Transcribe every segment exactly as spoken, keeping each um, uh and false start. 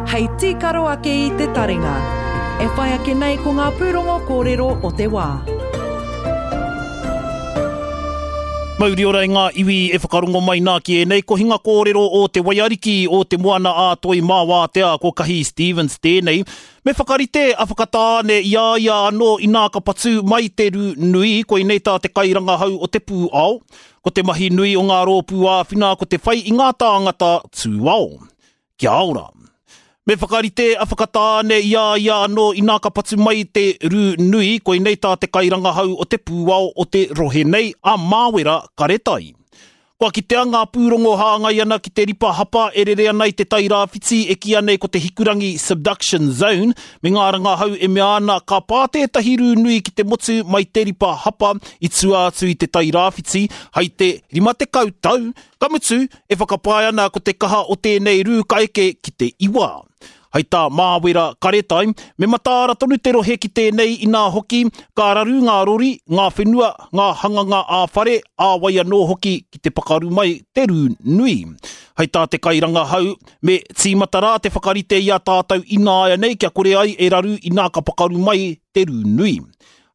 Hei tīkaro ake i te taringa. E whai ake nei ko ngā pūrongo kōrero o te wā. Mauri ora i ngā iwi e whakarongo mai nā ki ēnei kohinga kōrero o te Waiariki o te Moana a Toi mā Wātea ko Kahi Stevens tēnei. Me whakarite a Whakatāne i a ia anō inā ka patu mai te rū nui, koinei tā te kairangahau o te pūao. Ko te mahi nui o ngā rōpū āwhina ko te whai i ngā tāngata tūao. Kia ora. Me whakarite a Whakatāne i a ia anō inā ka patu mai te rū nui, koinei tā te kairangahau o te pūao o te rohe nei, a Māwera Karetai. Kua kitea ngā pūrongo hāngai ana ki te ripa hapa e rere ana i te Tairāwhiti e kīia nei ko te Hikurangi Subduction Zone, me ngā rangahau e mea ana ka pā tētahi rū nui ki te motu mai te ripa hapa i tua atu i te Tairāwhiti hai te rima tekau tau, ka mutu e whakapae ana ko te kaha o tēnei rū ka eke ki te iwa. Hai tā Māwera Karetai, me mataara tonu te rohe ki tēnei inā hoki, ka raru ngā rori, ngā whenua, ngā hanganga ā-whare, ā-wai anō hoki ki te pakaru mai te rū nui. Hai tā te kairangahau, me tīmata rā te whakarite i a tātou ināianei kia kore ai e raru inā ka pakaru mai te rū nui.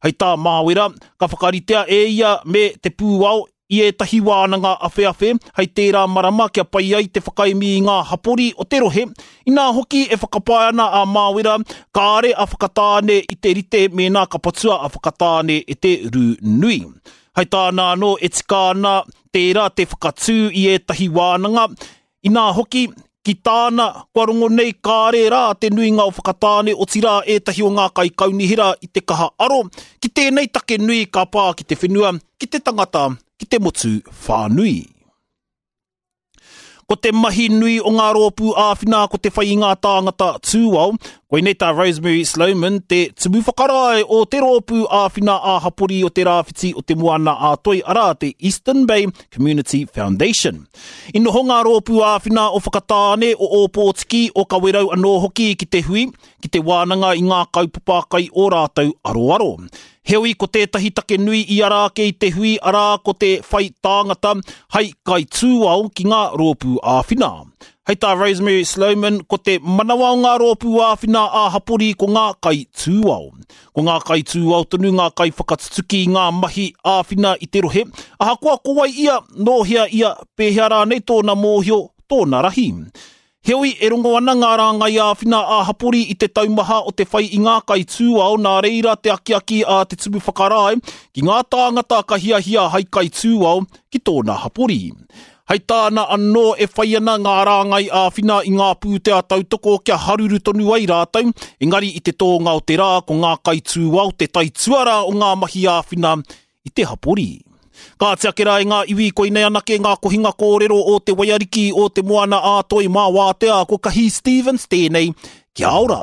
Hai tā Māwera, ka whakaritea e ia me te pūao i ētahi wānanga awheawhe hei tērā marama kia pai ai te whakaemi i ngā hapori o te rohe, inā hoki e whakapae ana a Māwera kāre a Whakatāne i te rite mēnā ka patua a Whakatāne e te rū nui. Hai tāna anō e tika ana tērā te whakatū i ētahi wānanga, inā hoki, ki tāna, kua rongo nei kāre rā te nuinga o Whakatāne otirā ētahi o ngā kaikaunihera i te kaha aro ki tēnei take nui ka pā ki te whenua, ki te tangata, ki te motu whānui. Ko te mahi nui o ngā rōpū āwhina ko te whai i ngā tāngata tūao, koinei tā Rosemary Sloman, te tumu whakarae o te rōpū āwhina ā-hapori o te Rāwhiti o te Moana a Toi, arā te Eastern Bay Community Foundation. I noho ngā rōpū āwhina o Whakatāne, o Ōpōtiki, o Kawerau anō hoki ki te hui, ki te wānanga i ngā kaupapa kai o rātou aroaro. Heoi ko tētahi take nui i ara ake i te hui arā ko te whai tāngata hai kaitūao ki ngā rōpū āwhina. Hei tā Rosemary Sloman, ko te manawa o ngā rōpū āwhina ā-hapori ko ngā kaitūao. Ko ngā kaitūao tonu ngā kaiwhakatutuki i ngā mahi āwhina i te rohe, ahakoa ko wai ia, nō hea ia, pēhea rānei tōna mōhio, tōna rahi. Heoi e rongo ana ngā rāngai āwhina ā-hapori i te taumaha o te whai i ngā kaitūao nā reira te akiaki a te tumu whakarae ki ngā tāngata ka hiahia hai kaitūao ki tōna hapori. Hei tāna anō e whai ana ngā rāngai āwhina i ngā pūtea tautoko kia haruru tonu ai rātou, engari i te tōnga o te rā ko ngā kaitūao te taituara o ngā mahi āwhina i te hapori. Ka ake rā i ngā iwi koinei anake ngā kohinga kōrero o te Waiariki o te Moana a Toi mā Wātea ko Kahi Stevens tēnei. Kia ora!